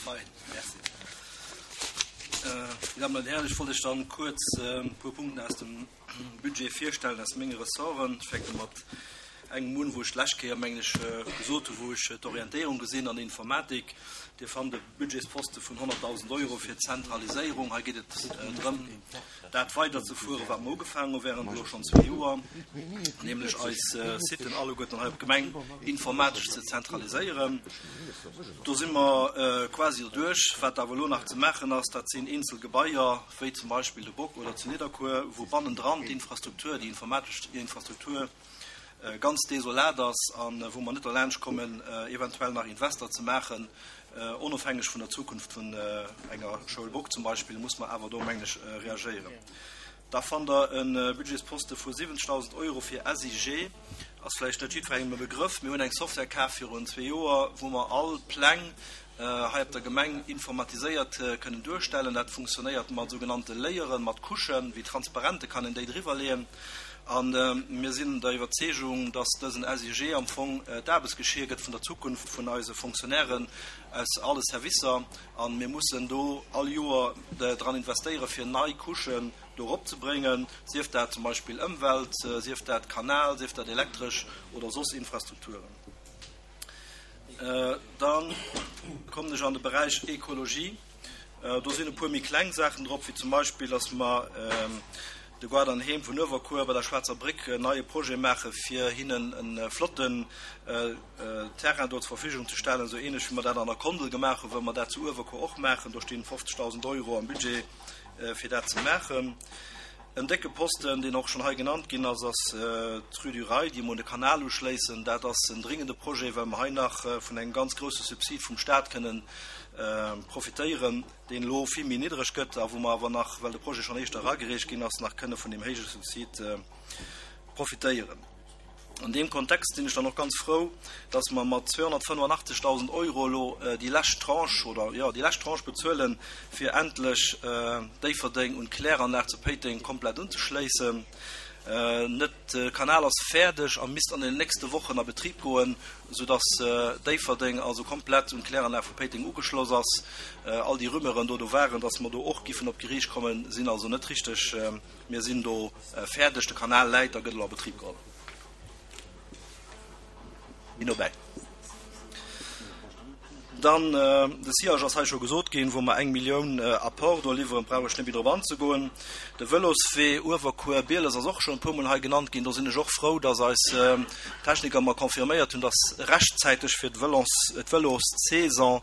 Fein, merci. Dir Dammen an Hären, ech wollt Iech dann kuerz e puer Punkten aus dem Budget virstellen, aus menge Ressorten. Ech fänke mat engem un, wou ech d'lescht Kéier, mengen ech, gesot hunn, wou ech d'Orientéierung gesinn an der Informatik. Dir fannt e Budgetsposte vun 100.000 Euro fir d'Zentraliséierung. Hei geet et drëm, dat weiderzefueren, wat mer ugefaangen hu während elo schonn zwee Joer, nämlech eis Siten alleguerten hei op d'Gemeng informatesch ze zentraliséieren. Do si mer quasi erduerch. Wat awer elo nach ze maachen ass, dat sinn eenzel Gebaier, wéi zum Beispill de Bock oder zu Nidderkuer, wou bannendran d'Infrastruktur, déi informatesch Infrastruktur, ganz desolat ass a wou mer net derlaanscht kommen, eventuell nach Invester ze maachen, onofhängeg vun der Zukunft vun enger Schoul Bock zum Beispill, muss mer awer do, mengen ech, reagéieren. Da fannt Der e Budgetsposte vu 70.000 Euro fir SIG. Ass vläicht net jiddwerengem e Begrëff. Mir hunn eng Software kaf virun zwee Joer, wou mer all Pläng hei op der Gemeng informatiséiert kënnen duerstellen. Dat funktionéiert mat sougenannte Layeren, mat Couchen, wéi Transparente kann een déi driwwerleeën. A mir sinn der Iwwerzeegung, dass dësen SIG am Fong d'Aarbechtsgeschier gëtt vun der Zukunft vun eise Fonctionnairen aus alle Servicer. A mir mussen do all Joer dran investéieren, fir nei Couchen do eropzebréngen, sief dat zum Beispill Ëmwelt, sief dat Kanal, sief dat elektresch oder soss Infrastrukturen. Da kommen ech an de Beräich Ekologie. Do sinn e puer méi kleng Saachen drop, wéi zum Beispill, dass mer de Guard an Heem vun Uewerkuer bei der Schwaarzer Bréck en neie Projet maache fir hinnen e flotten Terrain do zur Verfügung ze stellen, esou ähnlech wéi mer dat an der Kondel gemaach hunn, wëlle mer dat zu Uewerkuer och maachen. Do stinn 50.000 Euro am Budget fir dat ze maachen. En décke Posten, deen och schonn hei genannt ginn ass, ass d'Rue du Rail, déi mer un de Kanal uschléissen. Dat ass en dringende Projet, well mer hei nach vun engem ganz grousse Subsid vum Stat kënnen profitéieren, deen elo vill méi niddreg gëtt a wou mer awer nach, well de Projet schonn éischter eragereecht ginn ass, nach kënne vun deem héije Subsid profitéieren. An deem Kontext sinn ech dann och ganz frou, dass mer mat 285.000 Euro elo déi lescht Tranche, oder jo, déi lescht Tranche bezuelen, fir endlech Déifferdeng un d'Kläranlag zu Péiteng komplett unzeschléissen. Net, de Kanal ass fäerdeg a misst an den nächste Wochen a Betrib goen, soudass Déifferdeng also komplett un d'Kläranlag vu Péiteng ugeschloss ass. All déi Rumeuren do do waren, dass mer do och giffen op d'Geriicht kommen, sinn also net richteg. Mir sinn do fäerdeg, de Kanal läit a gëtt elo a Betrib geholl. Méi nobäi. Dann, de Sillage ass hei scho gesot ginn, wou mer eng Millioun Apport do liwweren, brauch ech net méi drop anzegoen. De Vëloswee Uewerkuer-Bieles ass och schonn e puermol hei genannt ginn. Do sinn ech och frou, dass eis Techniker mer confirméiert hunn, dass rechtzäiteg fir d'Vëlossaison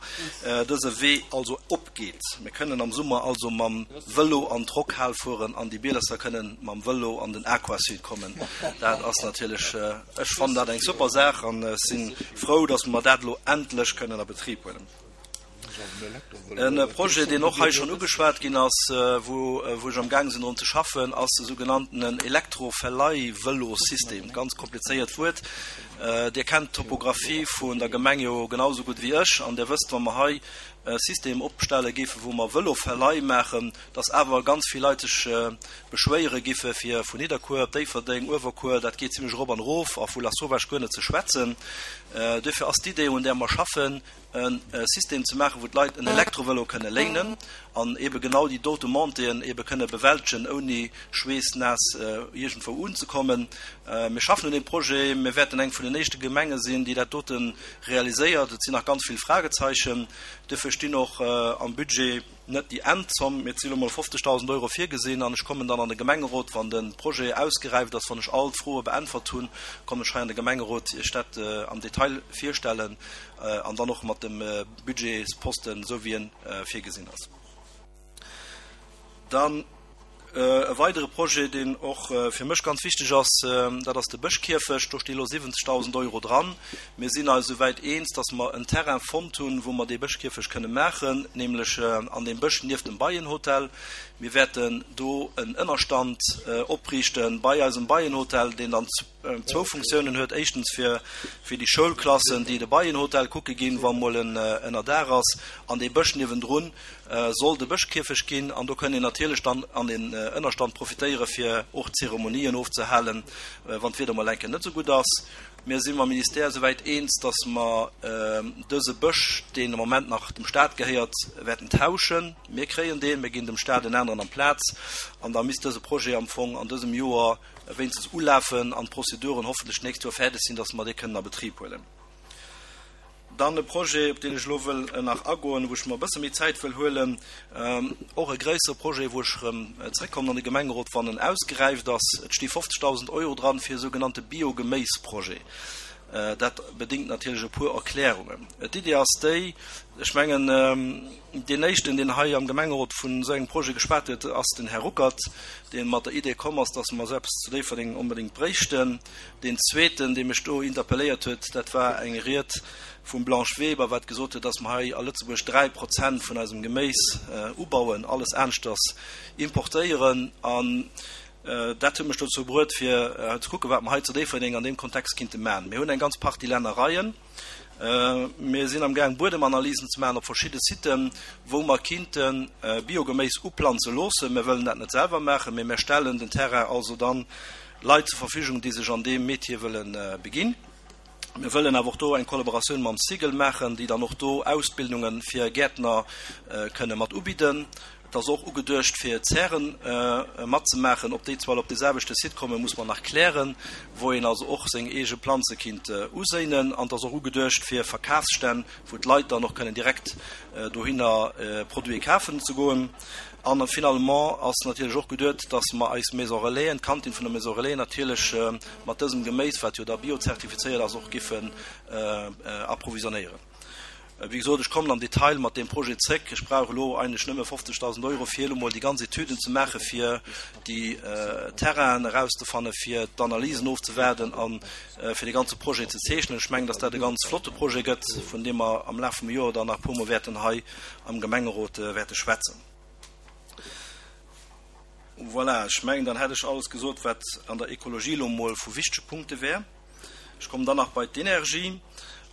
dëse Wee also opgeet. Mir kënnen am Summer also mam Vëlo an d'Rockhal fueren an déi Bielesser kënnen mam Vëlo an den Aquasud kommen. Dat ass natierlech, ech fannen dat eng super Saach an ech si frou, datt mer dat elo endlech kënnen a Betrib huelen. E Projet, deen och hei schonn ugeschwat ginn ass, wou ech am gaang sinn drun ze schaffen, ass de sougenanntenen Elektroverleihvëlosystem. Ganz komplizéiert Wuert. Dir kennt d'Topographie vun der Gemeng jo genau esou gutt wéi ech an Dir wësst, wa mer hei e System opstelle géifen, wou mer Vëloverleih maachen, dass awer ganz vill Leit sech beschwéiere giffe fir vun Nidderkuer op Déifferdeng, Uewerkuer, dat geet zimlech erop an erof, a vu Lasauvage guer net ze schwätzen. Duerfir ass d'Idee, un där mer schaffen, e System ze maachen, wou d'Leit en Elektrovëlo kënne léinen an eebe genau déi dote Montéeën eebe kënne bewältegen, ouni schweessnaass iergendwou unzekommen. Mir schaffen un deem Projet. Mir wäerten eng vun den éischte Gemenge sinn, déi dat dote realiséiert. Et sinn nach ganz vill Fragezeichen. Duerfir stinn och am Budget net déi Endzomm, mee et si lo mol 50.000 Euro virgesinn. An ech kommen dann an de Gemengerot, wann de Projet ausgeräift ass, wann ech all d'Froe beäntwert hunn, kommen ech hei an de Gemengerot Iech dat am Detail virstellen an dann och mat dem Budgetsposten, esou wéi e virgesinn ass. Dann e weidere Projet, deen och fir mech ganz wichteg ass, dat ass de Bëschkierfecht. Do sti lo 70.000 Euro dran. Mir sinn eis esouwäit eens, datt mer en Terrain fonnt hunn, wou mer dee Bëschkierfecht kënne maachen, nämlech an deem Bësch nieft dem Beienhotel. Mir wäerten do en Ënnerstand opriichte bei eisem Beienhotel, deen dann zwou Funktiounen huet, éischtens fir fir déi Schoulklassen, déi de Beienhotel kucke ginn, wa mol en ënnerdaach ass, an dee Bësch niewendrun soll de Bëschkierfecht ginn, an do kënn een natierlech dann an den Ënnerstand profitéiere fir och Zeremonien ofzehalen, wann d'Wieder mol eng Kéier net esou gutt ass. Mir si mam Ministère esouwäit eens, dass mer dëse Bësch, deen am Moment nach dem Stat gehéiert, wäerten tauschen. Mir kréien deen, mir ginn dem Stat en aneren amplaz an da misst dëse Projet am Fong an dësem Joer wéinstens ulafen an d'Prozeduren hoffentlech d'nächst Joer fäerdeg sinn, dass mer dee kënnen a Betrib huelen. Dann e Projet, op deen ech elo wëll nach agoen, wou ech mer e bësse méi Zäit wëll huelen, och e gréissere Projet, wou ech erëm zrëckkommen an de Gemengerot, wann en ausgeräift ass. Et sti 50.000 Euro dran fir e sougenannte Biogeméisprojet. Dat bedéngt natierlech e puer Erklärungen. D'Idee ass déi, ech mengen, deen éischten, deen hei am Gemengerot vun esou engem Projet geschwat huet, ass den Här Ruckert, dee mat der Idee komm ass, dass mer esou eppes zu Déifferdeng onbedéngt bréichten. Deen zweeten, dee mech do interpelléiert huet, dat war eng Ried vum Blanche Weber, wat gesot huet, dass mer hei a Lëtzebuerg 3 Prozent vun eisem Geméis ubauen, alles aneschters importéieren. An dat huet mech dozou bruet, fir ze kucken, wat mer hei zu Déifferdeng an deem Kontext kinnte maachen. Mir hunn eng ganz Partie Lännereien. Mir sinn amgaang, Buedemanalysen ze maachen op verschidde Siten, wou mer kinnte Biogeméis uplanze loossen. Mir wëllen dat net selwer maachen, mee mir stellen den Terrain also dann Leit zur Verfügung, déi sech an deem Metier wëlle beginn. Mir wëllen awer och do eng Kollaboratioun mam SIGEL maachen, déi dann och do Ausbildunge fir Gäertner kënne mat ubidden. Et ass och ugeduecht, fir Zären matzemaachen. Ob déi zwar op dee selwechte Site kommen, muss mer nach klären, wou een also och seng eege Planze kinnt uséinen. An et ass och ugeduecht fir Verkafsstänn, wou d'Leit dann och kënnen direkt dohinner Produite kafen ze goen. An finalement ass natierlech och geduet, dass mer eis Maison Relaisen, d'Kantin vun der Maison Relais natierlech mat dësem Geméis, wat jo da biozertifizéiert ass, och giffen approvisionnéieren. Wéi gesot, ech kommen am Detail mat deem Projet zréck. Ech brauch elo eigentlech nëmme 50.000 Euro, fir elo mol déi ganz Etüden ze maachen, fir déi Terrainen erauszefannen, fir d'Analysen ofzewaarden a fir dee ganze Projet ze zeechnen. Ech mengen, dass dat e ganz flotte Projet gëtt, vun deem mer am Laf vum Joer dann nach e puermol wäerten hei am Gemengerot wäerte schwätzen. Voilà, ech mengen, dann hätt ech alles gesot, wat an der Ekologie elo emol vu wichtege Punkte wär. Ech kommen dann nach bei d'Energie.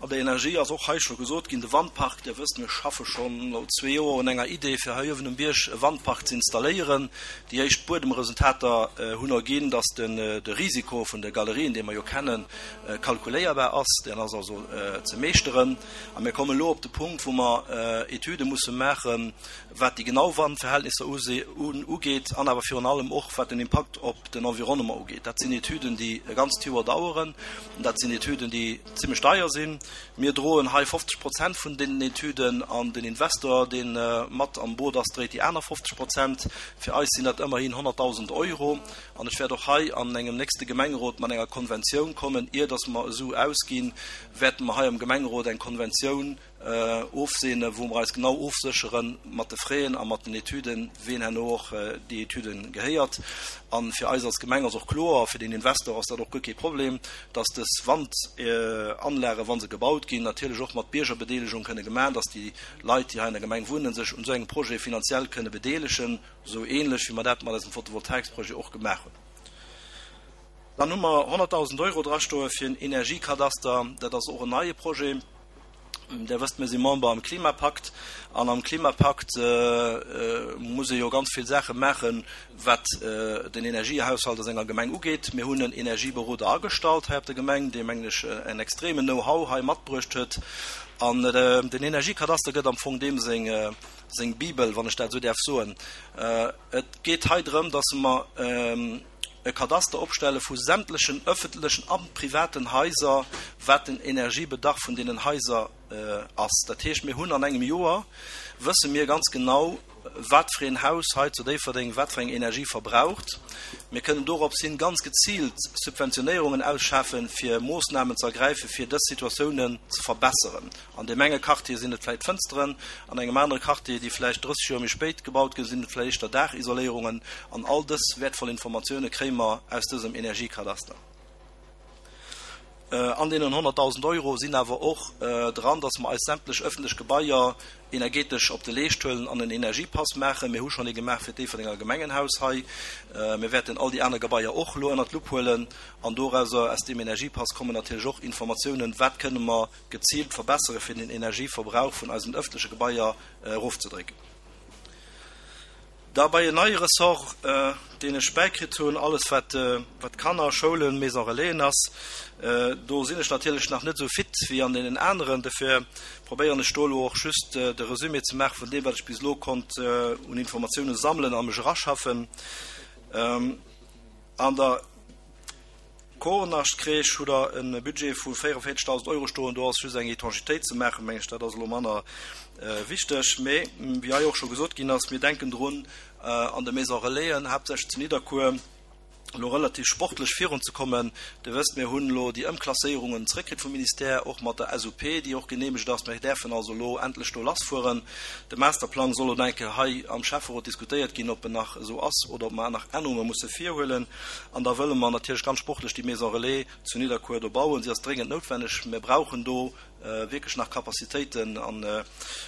An der Energie ass och hei scho gesot ginn, de Wandpark, Dir wësst, mir schaffe schonn elo zwee Joer un enger Idee, fir hei uewen um Bierg e Wandpark ze installéieren. Déi éischt Buedemresultater hunn erginn, dass den de Risiko vun de Galerien, dee mer jo kennen, kalkuléierbar ass. Deen ass also ze meeschteren. A mir kommen elo op de Punkt, wou mer Etüde musse maachen, wat déi genau Wandverhältnisser ugeet an awer virun allem och, wat den Impakt op den Environnement ugeet. Dat sinn Etüden, déi e ganzt Joer daueren. Dat sinn Etüden, déi zimlech deier sinn. Mir droen hei 50 Prozent vun deenen Etüden an den Investor, dee mat am Boot ass, dréit déi aner 50 Prozent. Fir eis sinn dat ëmmerhin 100.000 Euro. An ech wäert och hei an engem nächste Gemengerot mat enger Konventioun kommen, ier dass mer e Su ausginn, wäerte mer hei am Gemengerot eng Konventioun ofseene, wou mer eis genau ofséchere mat de Fräen a mat den Etüden, ween herno och déi Etüde gehéiert. A fir eis als Gemeng ass och kloer, fir den Investor ass dat och guer kee Problem, dass dës Wandanlagen, wa se gebaut ginn, natierlech och mat Biergerbedeelegung kënne gemaach, dass déi Leit, déi hei an der Gemeng wunnen, sech un esou engem Projet finanziell kënne bedeelegen, esou ähnlech wéi mer dat mat eisem Photovoltaiksprojet och gemaach hunn. Dann hu mer 100.000 Euro drastoe fir en Energiekadaster. Dat ass och en neie Projet. Där wësst, mir si Member am Klimapakt. An am Klimapakt muss ee jo ganz vill Saache maachen, wat den Energiehaushalt a senger Gemeng ugeet. Mir hunn en Energieberoder agestallt hei op der Gemeng, dee, mengen ech, en extremen Know-how hei matbruecht huet. An den Energiekadaster gëtt am Fong deem seng Bibel, wann ech dat esou däerf soen. Et geet hei drëm, dass mer e Kadaster opstelle vu sämtlechen öffentlechen a privaten Haiser, wat den Energiebedarf vun deenen Haiser ass. Dat heescht, mir hunn an engem Joer, wësse mir ganz genau, wat fir een Haus hei zu Déifferdeng wat fir eng Energie verbraucht. Mir kënnen dorops hin ganz geziilt Subventionéierungen ausschaffen, fir Moossnamen ze ergräifen, fir dës Situatiounen ze verbesseren. An deem enge Quartier sinn et vläicht Fënsteren, an engem anere Quartier, déi vläicht 30 Joer méi spéit gebaut ginn, sinn et vläicht éischter Daachisoléierungen. An all dës wäertvoll Informatioune kréie mer aus dësem Energiekadaster. An deenen 100.000 Euro sinn awer och dran, dass mer eis sämtlech ëffentlech Gebaier energetesch op de Leescht huelen an en Energiepass maachen. Mir hu schonn ee gemaach fir d'Déifferdenger Gemengenhaus hei. Mir wäerten all déi aner Gebaier och elo ënnert d'Lupp huelen. An dorauser, aus deem Energiepass kommen natierlech och Informatiounen, wat kënne mer geziilt verbessere fir den Energieverbrauch vun eisen ëffentleche Gebaier erofzedrécken. Da bei en neie Ressort, deen ech bäikritt hunn, alles wat wat Kanner, Schoulen, Maison Relaisen ass. Do sinn ech natierlech nach net esou fit wéi an deenen aneren. Dofir probéieren ech do elo och just de Resumé ze maache vun deem, wat ech bis elo konnt un Informatiounen sammelen a mech eraschaffen. An der Koornachtkreesch hutt Der e Budget vu 44.000 Euro stoen. Do ass just eng Étanchitéit ze maachen, meng ech. Dat ass elo manner wichteg. Mee, wéi hei och scho gesot ginn ass, mir denken drun, an de Maisons Relaisen, haaptsächlech zu Nidderkuer, elo relativ sportlech virunzekommen. Dir wësst, mir hunn elo déi Ëmklasséierungen zréckkritt vum Ministère, och mat der SUP, déi och geneemegt ass. Mir däerfen also elo endlech do lassfueren. De Masterplang soll elo eng Kéier hei am Schäfferot diskutéiert ginn, ob en nach esou ass oder ob mer nach Ännerunge musse virhuelen. An da wëlle mer natierlech ganz sportlech déi Maison Relais zu Nidderkuer do bauen. Si ass dréngend noutwenneg. Mir brauchen do wierklech nach Capacitéiten an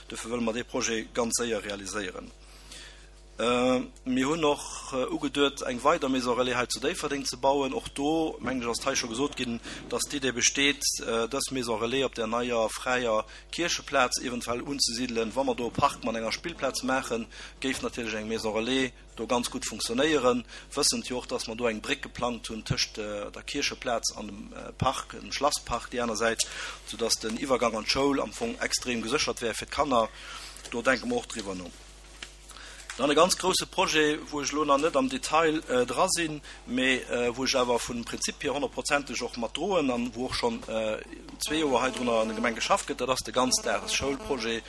dofir wëlle mer dee Projet ganz séier realiséieren. Mir hunn och ugeduet, eng weider Maison Relais hei zu Déifferdeng ze bauen. Och do, mengen ech, ass et hei scho gesot ginn, dass d'Idee besteet, dës Maison Relais op där neier fräier Kiercheplaz eventuell unzesidelen. Wa mer do e Park mat enger Spillplaz maachen, géif natierlech eng Maison Relais do ganz gutt funktionéieren, wëssend jo och, dass mer do eng Bréck geplangt hunn tëscht der Kiercheplaz an dem Park, dem Schlasspark déi aner Säit, soudass den Iwwergang an d'Schoul am Fong extrem geséchert wär fir d'Kanner. Do denke mer och driwwer no. Dann e ganz grouse Projet, wou ech elo nach net am Detail dra sinn, mee wou ech awer vum Prinzip hier honnertprozenteg och mat droen an wou och schonn zwee Joer hei drunner an der Gemeng geschafft gëtt, dat ass de Ganzdagesschoulprojet.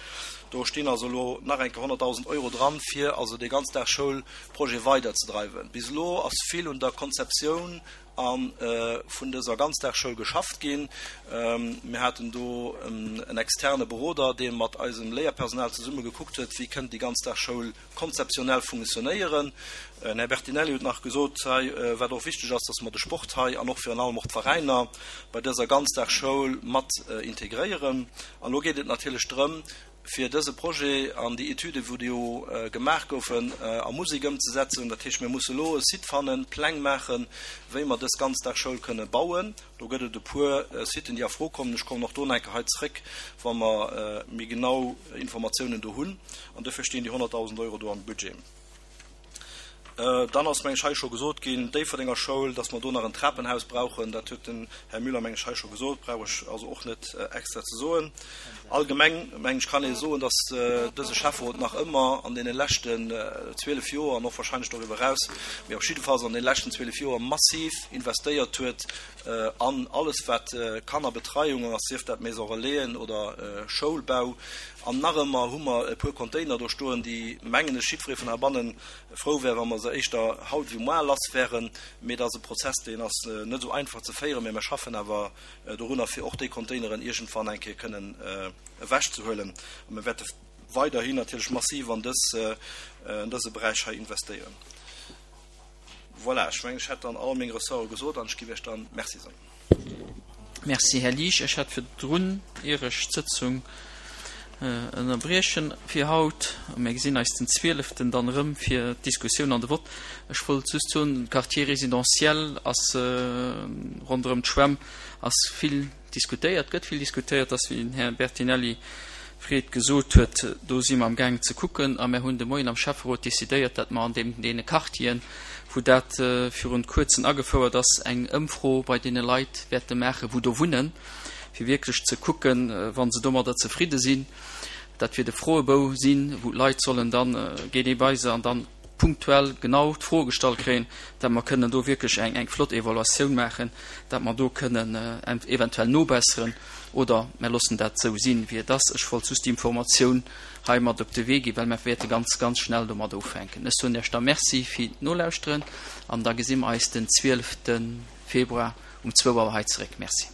Do stinn also elo nach eng Kéier 100.000 Euro dran, fir also dee Ganzdagsschoulprojet weiderzedreiwen. Bis elo ass vill un der Konzeptioun a vun dëser Ganzdagsschoul geschafft ginn. Mir haten do en externe Beroder, dee mat eisem Léierpersonal zesumme gekuckt huet, wéi kënnt déi Ganzdagsschoul konzeptionell funktionéieren. Den Här Bertinelli huet nach gesot hei, wat och wichteg ass, dass mer de Sport hei an och virun allem och d'Veräiner bei dëser Ganzdagsschoul mat integréieren. An elo geet et natierlech drëm, fir dëse Projet an déi Etüden, wou déi jo gemaach goufen, a Musek ëmzesetzen. Dat heescht, mir musse elo e Site fannen, Pläng maachen, wéi mer dës Ganzdagsschoul kënne bauen. Do gëtt et e puer Siten, déi a Fro kommen. Ech kommen och do nach eng Kéier hei zréck, wa mer méi genau Informatiounen do hunn. An duerfir stinn déi 100.000 Euro do am Budget. Dann ass, meng ech, hei scho gesot ginn, Déifferdenger Schoul, dass mer do nach en Trapenhaus brauchen. Dat huet den Här Müller, meng ech, hei scho gesot, brauch ech also och net extra ze soen. Allgemeng, meng ech, kann ee soen, dass dëse Schäfferot nach ëmmer an deene leschten 12 Joer an och wahrscheinlech doriwwer eraus, mee op jiddefalls an deene leschten 12 Joer massiv investéiert huet an alles, wat Kannerbetreiung ass, sief dat Maison Relaisen oder Schoulbau. An nach ëmmer hu mer e puer Container do stoen, déi, mengen ech, jiddweree vun heibanne frou wär, wa mer se éischter haut wéi moar lass wären. Mee et ass e Prozess, deen ass net esou einfach ze féieren, mee mer schaffen awer dorunner, fir och déi Containeren iergendwann eng Kéier kënnen ewechzehuelen. A mir wäerte weiderhin natierlech massiv an dëse Beräich hei investéieren. Voilà, ech mengen, ech hätt dann all meng Ressorte gesot an ech géif Iech dann Merci soen. Merci, Här Liesch. Ech hätt virdrun, ier ech d'Sëtzung ënnerbriechen fir haut, a mir gesinn eis den zwieleften dann erëm fir d'Diskussioun an de Vott, ech wollt just soen, de Quartier résidentiel ass ronderëm d'Schwämm ass vill diskutéiert, gëtt vill diskutéiert, ass, wéi den Här Bertinelli Fred gesot huet, do si mer amgaangen ze kucken a mir hunn de Moien am Schäfferot decidéiert, datt mer an deem deene Quartieren, wou dat virun kuerzen agefouert ass, eng Ëmfro bei deene Leit wäerte maachen, wou do wunnen, fir wierklech ze kucken, wa se domadder zefridde sinn. Dat wier de Froebou sinn, wou d'Leit sollen dann, geet ee bei se an dann punktuell genau d'Froe gestallt kréien, dat mer kënnen do wierklech eng eng flott Evaluatioun maachen, dat mer do kënnen eventuell nobesseren oder mer loossen dat esou sinn, wéi et ass. Ech wollt just déi Informatioun hei mat op de Wee ginn, well mer wäerte ganz, ganz schnell domat ufänken. Ech soen Iech da Merci fir d'Nolauschteren an da gesi mer eis den 12 Februar um zwou Auer hei zeréck. Merci.